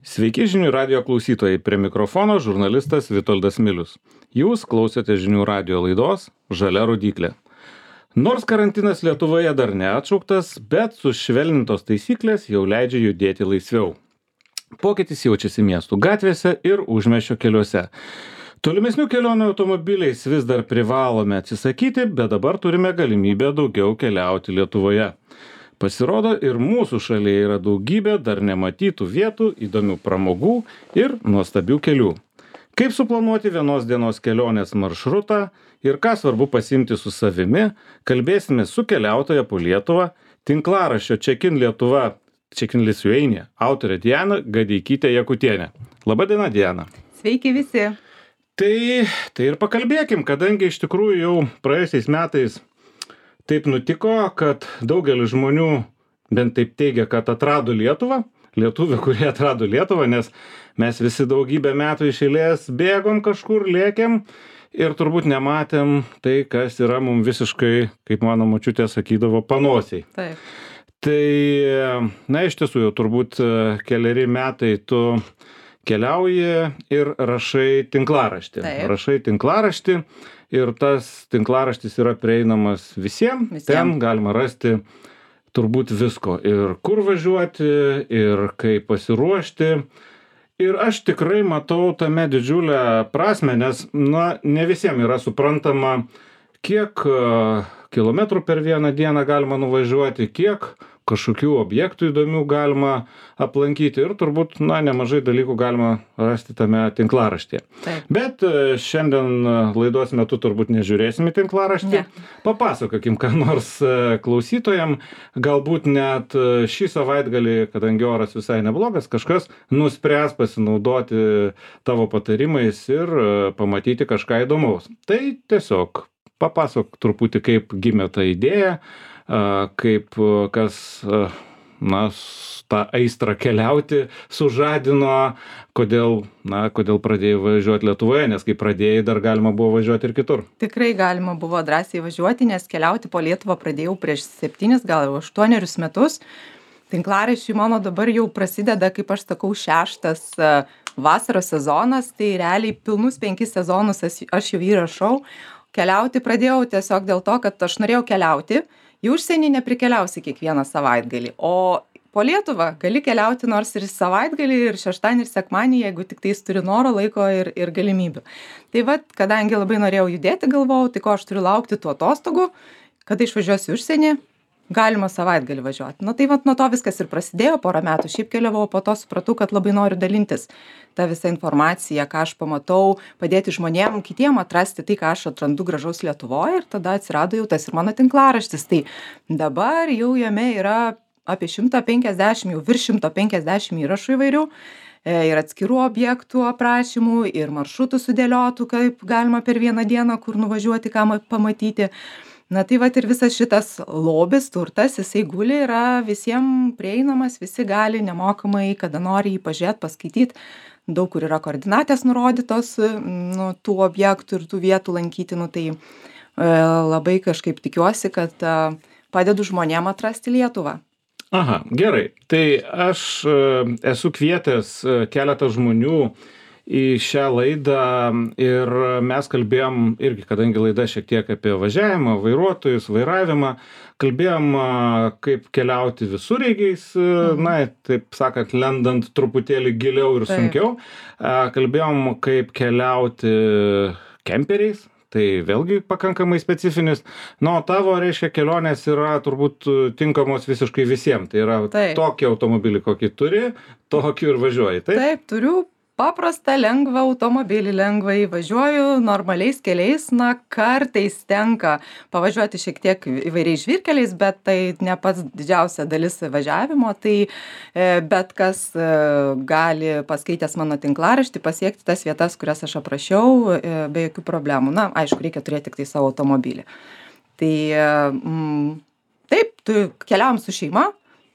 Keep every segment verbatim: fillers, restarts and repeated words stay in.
Sveiki žinių radijo klausytojai, prie mikrofono žurnalistas Vitoldas Milius. Jūs klausote žinių radijo laidos Žalia rodyklė. Nors karantinas Lietuvoje dar neatšauktas, bet sušvelnintos taisyklės jau leidžia judėti laisviau. Pokytis jaučiasi miestų gatvėse ir užmiesčio keliuose. Tolimesnių kelionių automobiliais vis dar privalome atsisakyti, bet dabar turime galimybę daugiau keliauti Lietuvoje. Pasirodo, ir mūsų šalyje yra daugybė dar nematytų vietų, įdomių pramogų ir nuostabių kelių. Kaip suplanuoti vienos dienos kelionės maršrutą ir ką svarbu pasiimti su savimi, kalbėsime su keliautoja po Lietuvą, tinklaraščio Check-in Lietuva, Check-in Lithuania, autorė Diana Gadeikytė-Jakutienė. Labadiena, Diana. Sveiki visi. Tai, tai ir pakalbėkim, kadangi iš tikrųjų jau praėjusiais metais taip nutiko, kad daugelis žmonių bent taip teigia, kad atrado Lietuvą, lietuvių, kurie atrado Lietuvą, nes mes visi daugybę metų iš eilės bėgom kažkur, lėkėm ir turbūt nematėm tai, kas yra mums visiškai, kaip mano močiutė sakydavo, panosiai. Taip. Tai, na, iš tiesų jau turbūt keleri metai tu keliauji ir rašai tinklaraštį. Taip. Rašai tinklaraštį. Ir tas tinklaraštis yra prieinamas visiems. Visiem. Ten galima rasti turbūt visko. Ir kur važiuoti, ir kaip pasiruošti. Ir aš tikrai matau tame didžiulę prasmę, nes, na, ne visiems yra suprantama, kiek uh, kilometrų per vieną dieną galima nuvažiuoti, kiek kažkokių objektų įdomių galima aplankyti ir turbūt, na, nemažai dalykų galima rasti tame tinklaraštyje. Taip. Bet šiandien laidos metu turbūt nežiūrėsim į tinklaraštį. Ne. Papasakokim, ką nors klausytojam, galbūt net šį savaitgalį, kadangi oras visai neblogas, kažkas nuspręs pasinaudoti tavo patarimais ir pamatyti kažką įdomaus. Tai tiesiog papasakok truputį, kaip gimė ta idėja, kaip kas, na, tą aistrą keliauti sužadino, kodėl, na, kodėl pradėjai važiuoti Lietuvoje, nes kai pradėjai, dar galima buvo važiuoti ir kitur. Tikrai galima buvo drąsiai važiuoti, nes keliauti po Lietuvą pradėjau prieš septynis, gal jau aštuonerius metus. Tinklaraščiai mano dabar jau prasideda, kaip aš sakau, šeštas vasaros sezonas, tai realiai pilnus penkis sezonus aš jau įrašau. Keliauti pradėjau tiesiog dėl to, kad aš norėjau keliauti. Į užsienį neprikeliausi kiekvieną savaitgalį, o po Lietuvą gali keliauti nors ir savaitgalį, ir šeštadienį, ir sekmadienį, jeigu tik tais turi noro, laiko ir, ir galimybių. Tai vat, kadangi labai norėjau judėti, galvojau, tai ko aš turiu laukti tų atostogų, kada išvažiuosiu į užsienį, galima savaitgalį važiuoti. Na tai vat nuo to viskas ir prasidėjo, porą metų šiaip keliavau, po to supratau, kad labai noriu dalintis tą visą informaciją, ką aš pamatau, padėti žmonėm, kitiem atrasti tai, ką aš atrandu gražaus Lietuvoje, ir tada atsirado jau tas ir mano tinklaraštis. Tai dabar jau jame yra apie šimtą penkiasdešimt, jau virš šimto penkiasdešimt įrašų įvairių, ir atskirų objektų aprašymų, ir maršrutų sudėliotų, kaip galima per vieną dieną, kur nuvažiuoti, ką pamatyti. Na tai vat ir visas šitas lobis, turtas, jisai guli, yra visiems prieinamas, visi gali nemokamai, kada nori jį pažiūrėti, paskaityti. Daug kur yra koordinatės nurodytos, nu, tų objektų ir tų vietų lankyti. Nu, tai e, labai kažkaip tikiuosi, kad e, padedu žmonėm atrasti Lietuvą. Aha, gerai. Tai aš e, esu kvietęs keletą žmonių į šią laidą ir mes kalbėjom irgi, kadangi laida šiek tiek apie važiavimą, vairuotojus, vairavimą, kalbėjom kaip keliauti visureigiais, mhm. na, taip sakant, lendant truputėlį giliau ir sunkiau. Kalbėjom kaip keliauti kemperiais. Tai vėlgi pakankamai specifinis. Na, o tavo, reiškia, kelionės yra turbūt tinkamos visiškai visiems. Tai yra taip. Tokį automobilį, kokį turi, tokį ir važiuoji. Taip, taip turiu paprastą, lengvą automobilį, lengvai važiuoju normaliais keliais. Na, kartais tenka pavažiuoti šiek tiek įvairiais žvyrkeliais, bet tai ne pats didžiausia dalis važiavimo. Tai bet kas gali, paskaitęs mano tinklaraštį, pasiekti tas vietas, kurias aš aprašiau, be jokių problemų. Na, aišku, reikia turėti tik tai savo automobilį. Tai mm, taip, tu keliaujam su šeima.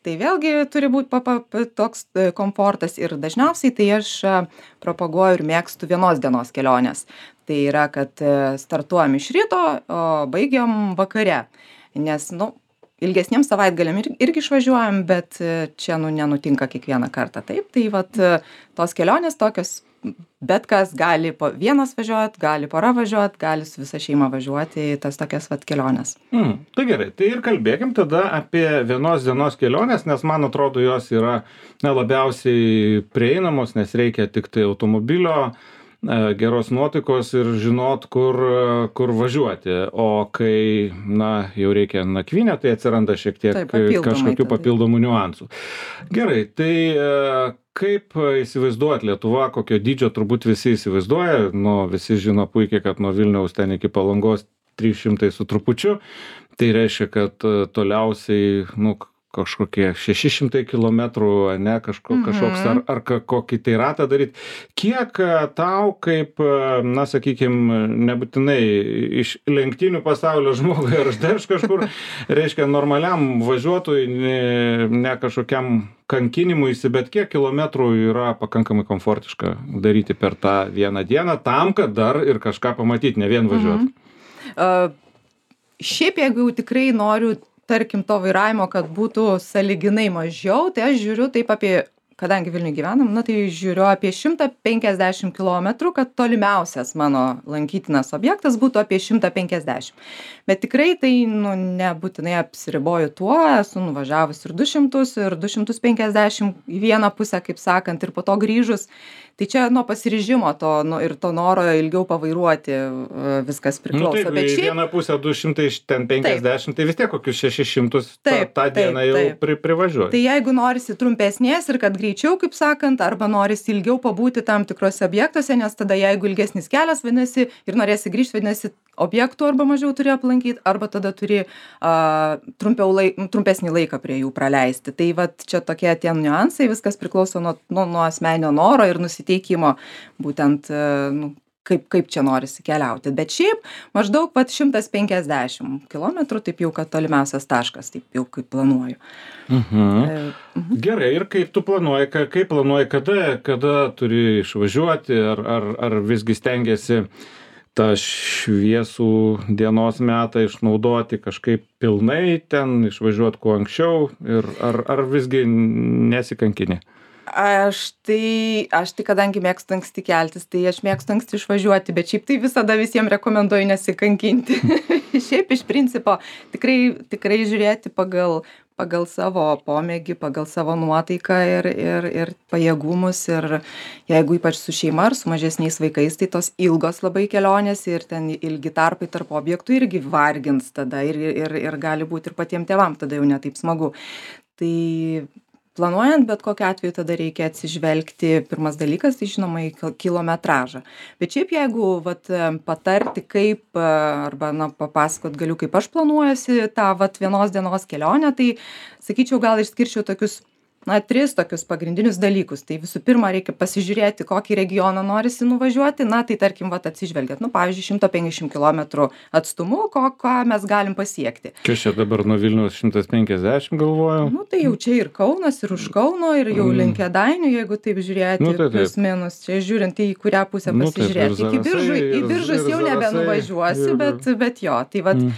Tai vėlgi turi būti pa, pa, toks komfortas ir dažniausiai tai aš propaguoju ir mėgstu vienos dienos kelionės. Tai yra, kad startuojam iš ryto, o baigiam vakare. Nes, nu, ilgesniems savaitgaliam ir irgi išvažiuojam, bet čia nu nenutinka kiekvieną kartą. Taip, tai vat tos kelionės tokios, bet kas gali po vienas važiuot, gali pora važiuot, gali su visa šeima važiuoti į tas tokias vat keliones. Mm, tai gerai, tai ir kalbėkim tada apie vienos dienos keliones, nes man atrodo jos yra na, labiausiai prieinamos, nes reikia tik tai automobilio, geros nuotaikos ir žinot, kur, kur važiuoti. O kai, na, jau reikia nakvynę, tai atsiranda šiek tiek Taip, papildomai kažkokių tada. papildomų niuansų. Gerai, tai kaip įsivaizduot Lietuva, kokio dydžio turbūt visi įsivaizduoja, nu, visi žino puikiai, kad nuo Vilniaus ten iki Palangos trys šimtai su trupučiu, tai reiškia, kad toliausiai, nu, kažkokie šeši šimtai kilometrų, ne, kažko, kažkoks, ar, ar kokį tai ratą daryti. Kiek tau, kaip, na, sakykime, nebūtinai iš lenktynių pasaulio žmogui ar aš kažkur, reiškia, normaliam važiuotojui, ne, ne kažkokiam kankinimuisi, bet kiek kilometrų yra pakankamai komfortiška daryti per tą vieną dieną, tam, kad dar ir kažką pamatyti, ne vien važiuoti. Mhm. Uh, šiaip, jeigu jau tikrai noriu tarkim to vairavimo, kad būtų sąlyginai mažiau, tai aš žiūriu taip apie, kadangi Vilniuje gyvenam, na tai žiūriu apie šimtą penkiasdešimt kilometrų, kad tolimiausias mano lankytinas objektas būtų apie šimtą penkiasdešimt. Bet tikrai tai nu, nebūtinai apsiriboju tuo, esu nuvažiavus ir du šimtus, ir du šimtus penkiasdešimt į vieną pusę, kaip sakant, ir po to grįžus. Tai čia nuo pasiryžimo to nu, ir to noro ilgiau pavairuoti viskas priklauso. Nu, taip, bet šiaip... į vieną pusę du šimtai penkiasdešimt, taip. Tai vis tiek kokius šešis šimtus taip, tą, tą taip, dieną jau taip. pri, privažiuoji. Tai jeigu norisi trumpesnės ir kad greičiau, kaip sakant, arba norisi ilgiau pabūti tam tikrose objektuose, nes tada jeigu ilgesnis kelias, vadinasi, ir norėsi grįžti, vadinasi, objektų arba mažiau turi aplankyti, arba tada turi uh, trumpiau laik, trumpesnį laiką prie jų praleisti. Tai vat čia tokie tie niuansai, viskas priklauso nuo, nuo, nuo asmeninio noro ir nusiteikimo, būtent uh, nu, kaip, kaip čia norisi keliauti. Bet šiaip maždaug pat šimtas penkiasdešimt kilometrų, taip jau kad tolimiausias taškas, taip jau kaip planuoju. Mhm. E, mhm. Gerai, ir kaip tu planuoji, ka- kaip planuoji, kada, kada turi išvažiuoti, ar, ar, ar visgi stengiasi tą šviesų dienos metą išnaudoti kažkaip pilnai ten, išvažiuoti kuo anksčiau, ir ar, ar visgi nesikankini? Aš tai, aš tai kadangi mėgstu anksti keltis, tai aš mėgstu anksti išvažiuoti, bet šiaip tai visada visiems rekomenduoju nesikankinti. Šiaip iš principo tikrai, tikrai žiūrėti pagal, pagal savo pomėgį, pagal savo nuotaiką ir, ir, ir pajėgumus. Ir jeigu ypač su šeima ar su mažesniais vaikais, tai tos ilgos labai kelionės ir ten ilgi tarpai tarp objektų irgi vargins tada ir, ir, ir gali būti ir patiems tėvam tada jau netaip smagu. Tai planuojant, bet kokiu atveju tada reikia atsižvelgti, pirmas dalykas, tai žinoma, į kilometražą. Bet šiaip jeigu vat, patarti, kaip, arba na, papasakot galiu, kaip aš planuojuosi tą vat, vienos dienos kelionę, tai sakyčiau, gal išskirčiau tokius, na, tris tokius pagrindinius dalykus. Tai visų pirma, reikia pasižiūrėti, kokį regioną norisi nuvažiuoti, na, tai tarkim, vat, atsižvelgiat, nu, pavyzdžiui, šimtas penkiasdešimt kilometrų atstumu, ko, ko mes galim pasiekti. Kas čia dabar nuo Vilniaus šimtas penkiasdešimt galvojau? Nu, tai jau čia ir Kaunas, ir už Kauno, ir jau Mm. link Kėdainių, jeigu taip žiūrėti, Nu, tai taip. plius minus, čia žiūrint į kurią pusę Nu, taip, pasižiūrėti. ir Iki biržų, Zarasai, į ir- biržus ir jau Zarasai, nebenuvažiuosi, ir- bet, bet jo, tai vat, Mm.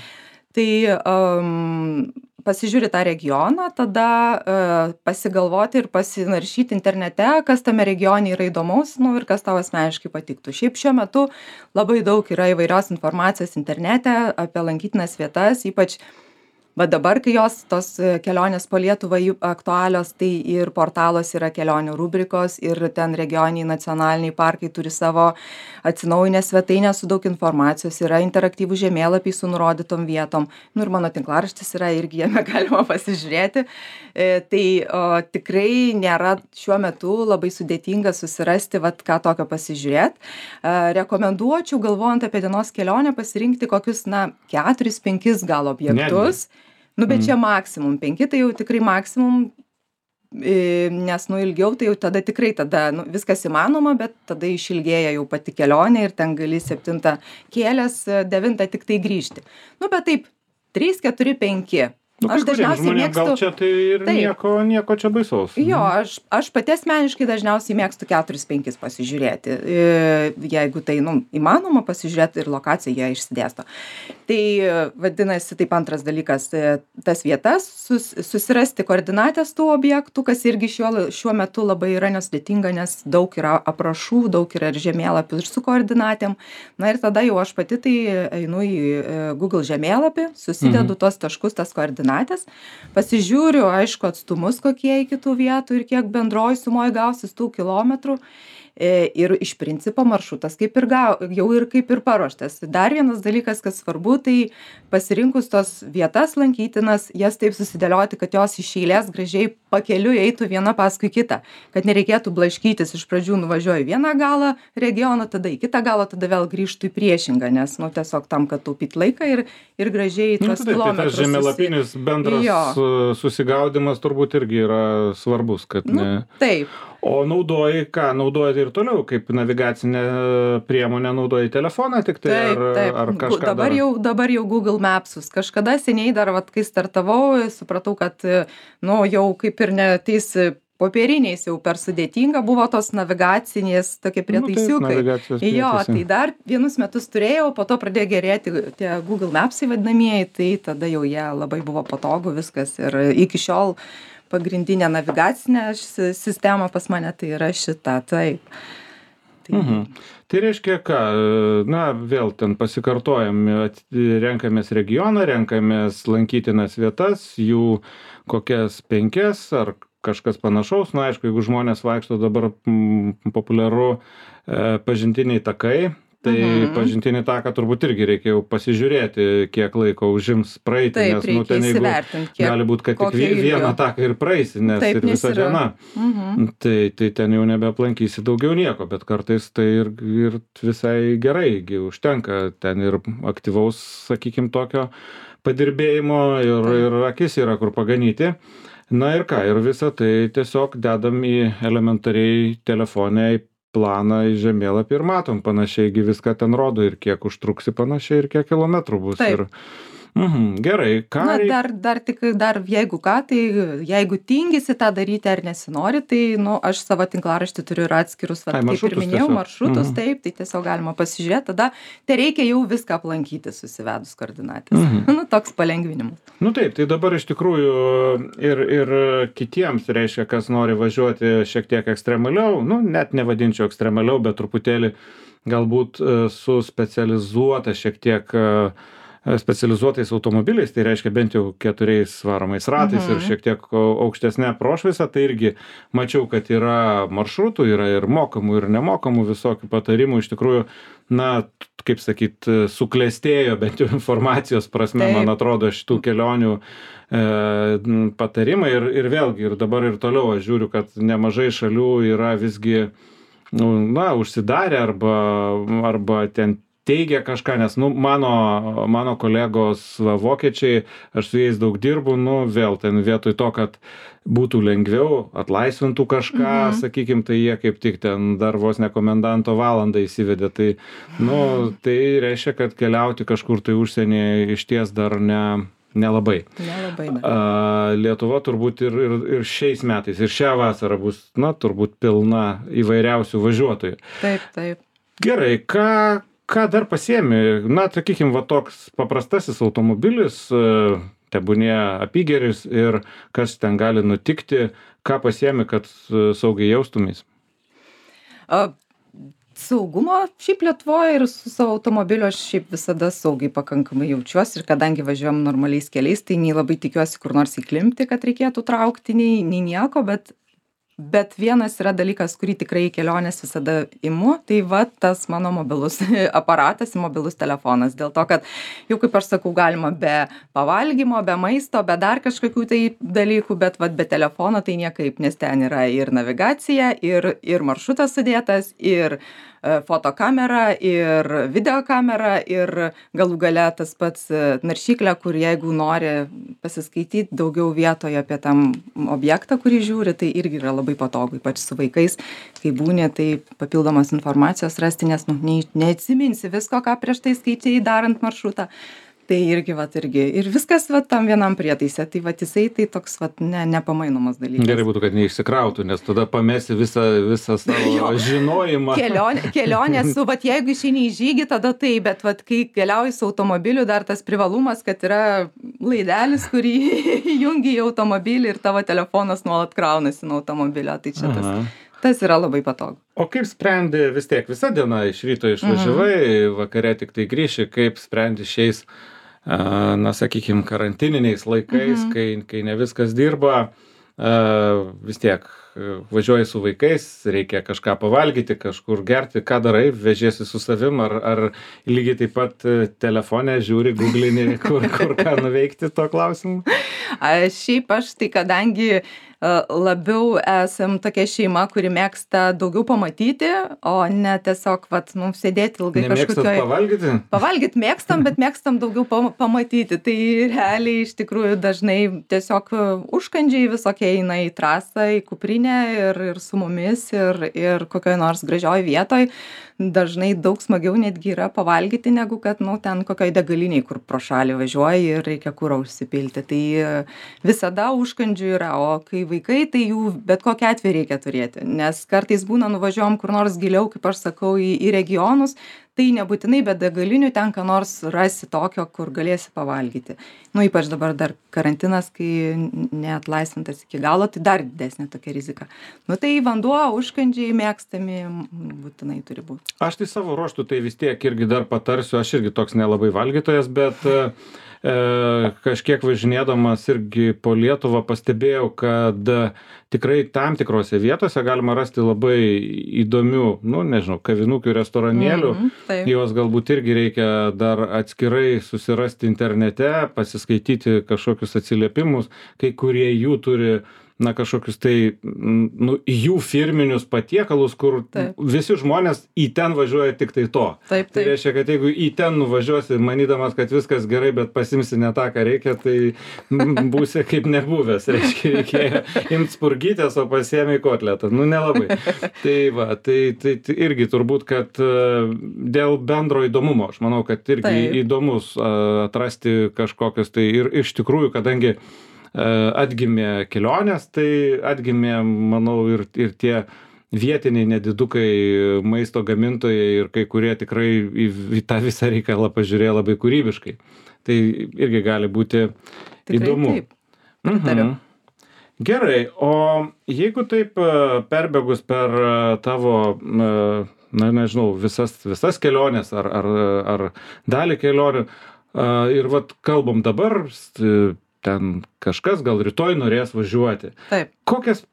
tai um, pasižiūri tą regioną, tada uh, pasigalvoti ir pasinaršyti internete, kas tame regione yra įdomaus, nu, ir kas tau asmeniškai patiktų. Šiaip šiuo metu labai daug yra įvairios informacijos internete apie lankytinas vietas, ypač va dabar, kai jos tos e, kelionės po Lietuvą jų aktualios, tai ir portalos yra kelionių rubrikos, ir ten regioniniai nacionaliniai parkai turi savo atsinaujinę svetainę su daug informacijos, yra interaktyvų žemėlapiai su nurodytom vietom. Nu ir mano tinklaraštis yra, irgi jame galima pasižiūrėti. E, tai o, tikrai nėra šiuo metu labai sudėtinga susirasti, vat, ką tokio pasižiūrėti. E, rekomenduočiau, galvojant apie dienos kelionę, pasirinkti kokius, na, keturis, penkis gal objektus. Netgi. Nu, bet Mm. čia maksimum, penki tai jau tikrai maksimum, e, nes nu ilgiau tai jau tada tikrai tada nu, viskas įmanoma, bet tada išilgėja jau pati kelionė ir ten gali septintą kėlės, devintą tik tai grįžti. Nu, bet taip, trys, keturi, penki. Nu, Aš dažniausiai žmonėm mėgstu... gal čia tai ir Taip. nieko, nieko čia baisaus. Jo, aš, aš pati asmeniškai dažniausiai mėgstu keturis penkis pasižiūrėti. E, Jeigu tai, nu, įmanoma pasižiūrėti ir lokaciją jie išsidėsto. Tai vadinasi, taip antras dalykas, e, tas vietas, sus, susirasti koordinatės tų objektų, kas irgi šiuo, šiuo metu labai yra nesudėtinga, nes daug yra aprašų, daug yra ir žemėlapių ir su koordinatėm. Na ir tada jau aš pati tai einu į e, Google žemėlapį, susidedu mhm. tos taškus, tas koordinatės, pasižiūriu, aišku, atstumus kokie iki tų vietų ir kiek bendroj sumoj gausis tų kilometrų. Ir iš principo maršrutas kaip ir gau, jau ir kaip ir paruoštas. Dar vienas dalykas, kas svarbu, tai pasirinkus tos vietas lankytinas, jas taip susidėlioti, kad jos iš eilės gražiai pakeliui eitų viena paskui kitą. Kad nereikėtų blaškytis, iš pradžių nuvažiuoju vieną galą regiono, tada į kitą galą, tada vėl grįžtų į priešingą, nes nu, tiesiog tam, kad taupyt laiką ir, ir gražiai tuos nu, kilometrus. Tai tas žemėlapinis bendras jo. Susigaudimas turbūt irgi yra svarbus, kad nu, ne... Taip. O naudoji ką? Naudoji ir toliau, kaip navigacinę priemonę naudoji telefoną tik tai taip, ar, taip. ar kažką dabar dar? jau, dabar jau Google Mapsus. Kažkada seniai dar, vat, kai startavau, supratau, kad nu, jau kaip ir neteis popieriniais jau per sudėtinga buvo tos navigacinės tokie prietaisiukai. Nu, jo, tai dar vienus metus turėjau, po to pradėjo gerėti tie Google Mapsai vadinamieji, tai tada jau jie labai buvo patogu viskas ir iki šiol pagrindinė navigacinė sistema pas mane tai yra šita, taip. Tai... Mhm. Tai reiškia ką, na vėl ten pasikartojam, renkamės regioną, renkamės lankytinas vietas, jų kokias penkias ar kažkas panašaus, na aišku, jeigu žmonės vaikšto dabar m, populiaru e, pažintiniai takai, tai mhm. pažintinį taką turbūt irgi reikėjo pasižiūrėti, kiek laiko užims praeiti, taip, nes nu, ten jeigu kiek, gali būti, kad tik vieną taką ir praeisi, nes taip, ir visa yra. diena. Mhm. Tai, tai ten jau nebeaplankysi daugiau nieko, bet kartais tai ir, ir visai gerai, užtenka ten ir aktyvaus, sakykime, tokio padirbėjimo ir, ir akis yra kur paganyti. Na ir ką, ir visą tai tiesiog dedam į elementariai telefone į planą į žemėlapį ir matom panašiai, viską ten rodo ir kiek užtruksi panašiai ir kiek kilometrų bus. Taip. Ir, mhm, gerai, ką... Na, dar, dar tik, dar jeigu ką, tai jeigu tingisi tą daryti ar nesinori, tai, nu, aš savo tinklaraštį turiu ir atskirus, va, Ai, kaip ir minėjau, tiesiog. maršrutus, Mhm. taip, tai tiesiog galima pasižiūrėti, tada tai reikia jau viską aplankyti susivedus koordinatės. Mhm. Nu, toks palengvinimas. Nu taip, tai dabar iš tikrųjų ir, ir kitiems reiškia, kas nori važiuoti šiek tiek ekstremaliau, nu, net nevadinčiau ekstremaliau, bet truputėlį galbūt e, su specializuota šiek tiek e, specializuotais automobiliais, tai reiškia bent jau keturiais varomais ratais Mhm. ir šiek tiek aukštesnė prošviesa, tai irgi mačiau, kad yra maršrutų, yra ir mokamų, ir nemokamų visokių patarimų, iš tikrųjų, na, kaip sakyt, suklestėjo bent jau informacijos prasme, Taip. man atrodo, šitų kelionių e, patarimai ir, ir vėlgi, ir dabar ir toliau aš žiūriu, kad nemažai šalių yra visgi, nu, na, užsidarę arba, arba ten teigia kažką, nes, nu, mano, mano kolegos va, vokiečiai, aš su jais daug dirbu, nu, vėl ten vietoj to, kad būtų lengviau, atlaisvintų kažką, mhm. sakykim, tai jie kaip tik ten dar vos ne komendanto valandą įsivedė, tai, nu, tai reiškia, kad keliauti kažkur tai užsienyje išties dar ne, nelabai. Nelabai. A, Lietuva turbūt ir, ir, ir šiais metais, ir šią vasarą bus, na, turbūt pilna įvairiausių važiuotojų. Taip, taip. Gerai, ką, ką dar pasiemi? Na, sakykim, va toks paprastasis automobilis, tebūnie apygeris ir kas ten gali nutikti, ką pasiemi, kad saugiai jaustumės? A, saugumo šiaip Lietuvoje ir su savo automobiliu aš šiaip visada saugiai pakankamai jaučiuosi ir kadangi važiuojam normaliais keliais, tai nei labai tikiuosi kur nors įklimpti, kad reikėtų traukti, nei, nei nieko, bet Bet vienas yra dalykas, kurį tikrai į kelionės visada imu, tai va tas mano mobilus aparatas, mobilus telefonas. Dėl to, kad jau kaip aš sakau, galima be pavalgymo, be maisto, be dar kažkokių tai dalykų, bet va be telefono tai niekaip, nes ten yra ir navigacija, ir, ir maršrutas sudėtas, ir fotokamera, ir videokamera, ir galų gale tas pats naršyklė, kur jeigu nori pasiskaityti daugiau vietoje apie tam objektą, kurį žiūri, tai irgi yra labai patogu, ypač su vaikais, kai būni, tai papildomos informacijos rasti, nes nu, ne, neatsiminsi visko, ką prieš tai skaičiai darant maršrutą. Tai irgi, vat, irgi. Ir viskas, vat, tam vienam prietaise. Tai, vat, jisai tai toks, vat, ne, nepamainomas dalykas. Gerai būtų, kad neišsikrautų, nes tada pamesi visą, visą savo žinojimą. Kelionė, kelionė su, vat, jeigu išeini į žygį, tada tai, bet, vat, kai keliauji su automobiliu, dar tas privalumas, kad yra laidelis, kurį jungi į automobilį ir tavo telefonas nuolat kraunasi nuo automobilio. Tai čia tas, tas yra labai patogu. O kaip sprendi, vis tiek visą dieną iš ryto išvažiavai, mhm. vakare tik tai grįši, kaip sprendi šiais, na, sakykime, karantininiais laikais, mhm. kai, kai ne viskas dirba, vis tiek važiuoji su vaikais, reikia kažką pavalgyti, kažkur gerti, ką darai, vežiesi su savim, ar, ar lygiai taip pat telefone žiūri, googlini, kur, kur ką nuveikti to klausimu? A, šiaip aš tai kadangi labiau esam tokia šeima, kuri mėgsta daugiau pamatyti, o ne tiesiog, vat, nu, sėdėti ilgai kažkokioj... Nemėgstat pavalgyti? Pavalgyti mėgstam, bet mėgstam daugiau pamatyti. Tai realiai iš tikrųjų dažnai tiesiog užkandžiai visokie eina į trasą, į kuprinę ir, ir su mumis, ir, ir kokioj nors gražioj vietoj. Dažnai daug smagiau netgi yra pavalgyti, negu kad, nu, ten kokioj degaliniai, kur pro šalį važiuoji ir reikia kurą užsipilti. Tai visada užkandžių yra, o kai vaikai, tai jų bet kokią atveju reikia turėti, nes kartais būna nuvažiuojam kur nors giliau, kaip aš sakau, į, į regionus, tai nebūtinai be degalinių ten ką nors rasi tokio, kur galėsi pavalgyti. Nu, ypač dabar dar karantinas, kai neatlaisvintas iki galo, tai dar didesnė tokia rizika. Nu, tai vanduo, užkandžiai mėgstami būtinai turi būti. Aš tai savo ruoštų tai vis tiek irgi dar patarsiu, aš irgi toks nelabai valgytojas, bet e, kažkiek važinėdamas irgi po Lietuvą pastebėjau, kad tikrai tam tikrose vietose galima rasti labai įdomių, nu, nežinau, kavinukių, restoranėlių. Mm-hmm, Jos galbūt irgi reikia dar atskirai susirasti internete, pasiskaityti kažkokius atsiliepimus, kai kurie jų turi na, kažkokius tai, nu, jų firminius patiekalus, kur taip. Visi žmonės į ten važiuoja tik tai to. Taip, taip. Tai reiškia, kad jeigu į ten nuvažiuosi, manydamas, kad viskas gerai, bet pasimsi ne tą, ką reikia, tai būsi kaip nebuvęs. Reiškia, reikėjo imti spurgytės, o pasiėmė kotletą. Nu, nelabai. Tai va, tai, tai, tai irgi turbūt, kad dėl bendro įdomumo, aš manau, kad irgi taip. Įdomus atrasti kažkokius tai ir iš tikrųjų, kadangi atgimė kelionės, tai atgimė, manau, ir, ir tie vietiniai nedidukai maisto gamintojai ir kai kurie tikrai į, į tą visą reikalą pažiūrėjo labai kūrybiškai. Tai irgi gali būti tikrai įdomu. Taip, pritariu. Mhm. Gerai, o jeigu taip perbėgus per tavo, na, nežinau, visas, visas kelionės ar, ar, ar dalį kelionių ir vat kalbam dabar, ten kažkas gal rytoj norės važiuoti. Taip. Kokias,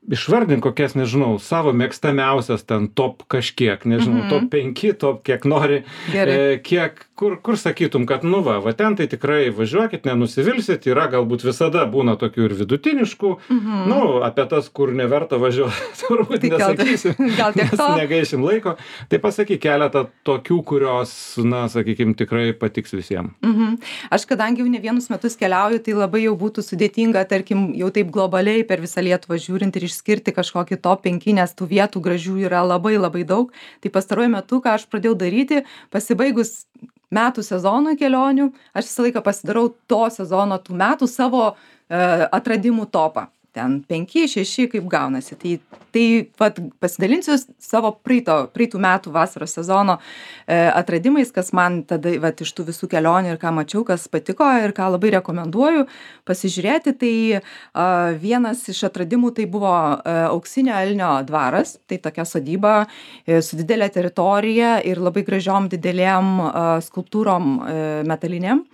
išvardink kokias, nežinau, savo mėgstamiausias ten top kažkiek, nežinau, mm-hmm. top penki, top kiek nori, e, kiek, kur, kur sakytum, kad nu va, va ten tai tikrai važiuokit, nenusivilsit, yra galbūt visada būna tokių ir vidutiniškų, mm-hmm. nu, apie tas, kur neverta važiuoti, turbūt tai nesakysim, gal tiek to. Negaišim laiko, tai pasakyk keletą tokių, kurios, na, sakykim, tikrai patiks visiems. Mhm. Aš kadangi jau ne vienus metus keliauju, tai labai jau būtų sudėtinga, tarkim, jau taip globaliai per visą Lietuvą žiūrint ir išskirti kažkokį top penki, nes tų vietų gražių yra labai labai daug. Tai pastaruoju metu, ką aš pradėjau daryti, pasibaigus metų sezonui kelionių, aš visą laiką pasidarau to sezono tų metų savo e, atradimų topą. Ten penki, šeši, kaip gaunasi. Tai, tai vat, pasidalinsiu savo praeito, praeitų metų vasaros sezono e, atradimais, kas man tada vat, iš tų visų kelionių ir ką mačiau, kas patiko ir ką labai rekomenduoju pasižiūrėti. Tai a, vienas iš atradimų tai buvo a, Auksinio elnio dvaras. Tai tokia sodyba e, su didelė teritorija ir labai gražiom didelėm a, skulptūrom e, metalinėm.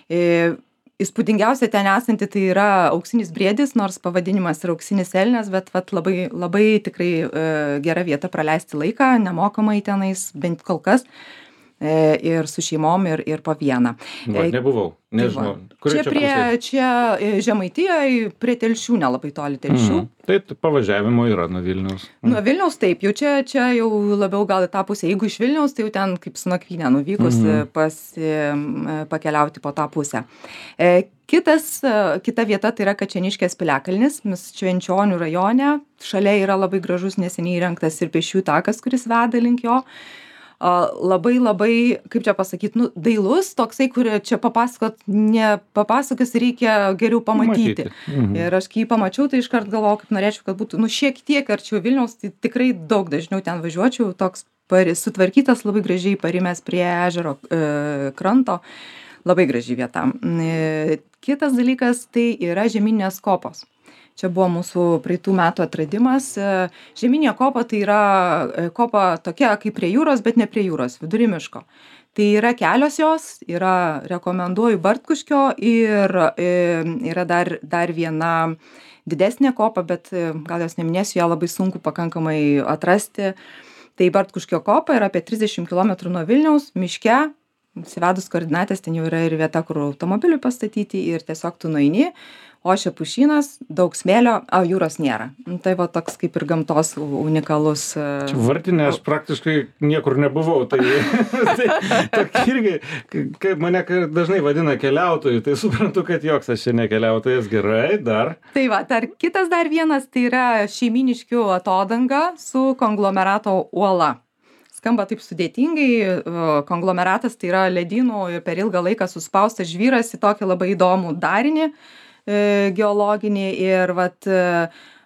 E, Įspūdingiausia ten esanti tai yra auksinis briedis, nors pavadinimas yra auksinis elnias, bet vat, labai, labai tikrai e, gera vieta praleisti laiką, nemokamai tenais, bent kol kas, e, ir su šeimom, ir, ir po vieną. Va, nebuvau, nežinau. Čia, čia prie, čia Žemaitijoje, prie Telšių, nelabai toli Telšių. Mm. Tai pavažiavimo yra nuo Vilniaus. Mm. Nuo Vilniaus taip, jau čia, čia jau labiau gal į tą pusę. Jeigu iš Vilniaus, tai jau ten kaip su nakvynė nuvykus mm-hmm. pasi, pakeliauti po tą pusę. E, kitas, kita vieta tai yra Kačeniškės piliakalnis, mes Švenčionių rajone. Šalia yra labai gražus neseniai įrengtas ir pėsčiųjų takas, kuris veda link jo. labai labai, kaip čia pasakyti, nu, dailus, toksai, kurį čia papasakot, nepapasakos, reikia geriau pamatyti. Matyti. Mhm. Ir aš kai jį pamačiau, tai iškart galvojau, kaip norėčiau, kad būtų, nu, šiek tiek arčiau Vilniaus, tai tikrai daug dažniau ten važiuočiau, toks pari, sutvarkytas, labai gražiai parimęs prie ežero e, kranto, labai graži vieta. E, kitas dalykas, tai yra žemyninės kopos. Čia buvo mūsų praeitų metų atradimas. Žeminė kopa tai yra kopa tokia kaip prie jūros, bet ne prie jūros, vidury miško. Tai yra kelios jos, yra, rekomenduoju, Bartkuškio ir yra dar, dar viena didesnė kopa, bet gal jos neminėsiu, ją labai sunku pakankamai atrasti. Tai Bartkuškio kopa yra apie trisdešimt kilometrų nuo Vilniaus, miške. Įsivedus koordinatės, ten jau yra ir vieta, kur automobiliui pastatyti ir tiesiog tu nueini. Ošia pušynas, daug smėlio, o jūros nėra. Tai va toks kaip ir gamtos unikalus. Čia Vartinė aš praktiškai niekur nebuvau, tai, tai irgi, kaip mane dažnai vadina keliautojų, tai suprantu, kad joks aš čia nekeliautojas, gerai, dar. Tai va, dar kitas dar vienas, tai yra Šeimyniškių atodanga su konglomerato uola. Skamba taip sudėtingai, konglomeratas tai yra ledynų ir per ilgą laiką suspaustas žvyras į tokį labai įdomų darinį geologinį ir vat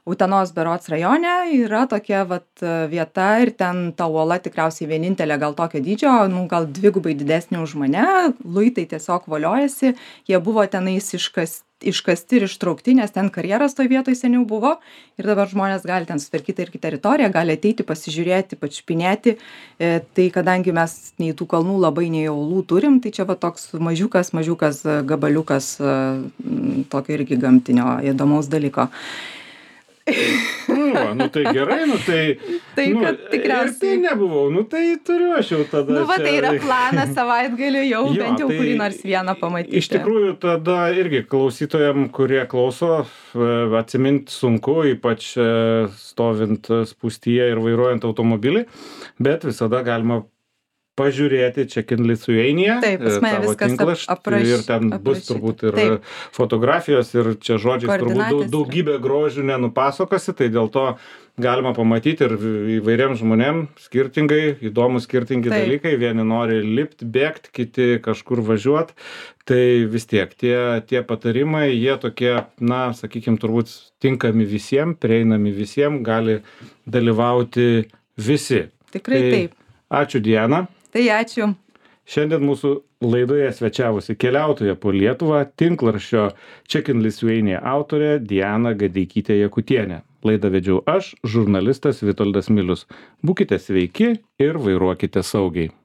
Utenos berods rajone yra tokia vat vieta ir ten ta uola tikriausiai vienintelė gal tokio dydžio, nu, gal dvigubai didesnė už mane, luitai tiesiog voliojasi, jie buvo tenais iškasti, iškasti ir ištraukti, nes ten karjeras toj vietoj seniau buvo ir dabar žmonės gali ten sutvarkyti irgi teritoriją, gali ateiti, pasižiūrėti, pačiupinėti, e, tai kadangi mes nei tų kalnų labai nei uolų turim, tai čia va toks mažiukas, mažiukas gabaliukas e, tokio irgi gamtinio įdomaus dalyko. Nu, va, nu tai gerai, nu tai... Tai nu, kad tikriausiai... Ir tai nebuvau, nu tai turiu aš jau tada... Nu, va, tai čia... yra planas savaitgaliu jau, jo, bent jau tai kurį nors vieną pamatyti. Iš tikrųjų, tada irgi klausytojam, kurie klauso, atsiminti sunku, ypač stovint spūstyje ir vairuojant automobilį, bet visada galima pažiūrėti Check in Lithuania, taip, tavo tinklaštį ir ten aprašyta. Bus turbūt ir taip. Fotografijos ir čia žodžiais turbūt daugybė grožių nenupasakosi, tai dėl to galima pamatyti ir įvairiems žmonėms skirtingai, įdomus skirtingi taip. Dalykai, vieni nori lipti, bėgti, kiti kažkur važiuoti, tai vis tiek tie, tie patarimai, jie tokie, na, sakykime, turbūt tinkami visiems, prieinami visiems, gali dalyvauti visi. Tikrai tai, taip. Ačiū, Diana. Tai ačiū. Šiandien mūsų laidoje svečiavosi keliautoja po Lietuvą, tinklarsčio Check in Lithuania autorė Diana Gadeikytė Jakutienė. Laidą vedžiau aš, žurnalistas Vitoldas Milius. Būkite sveiki ir vairuokite saugiai.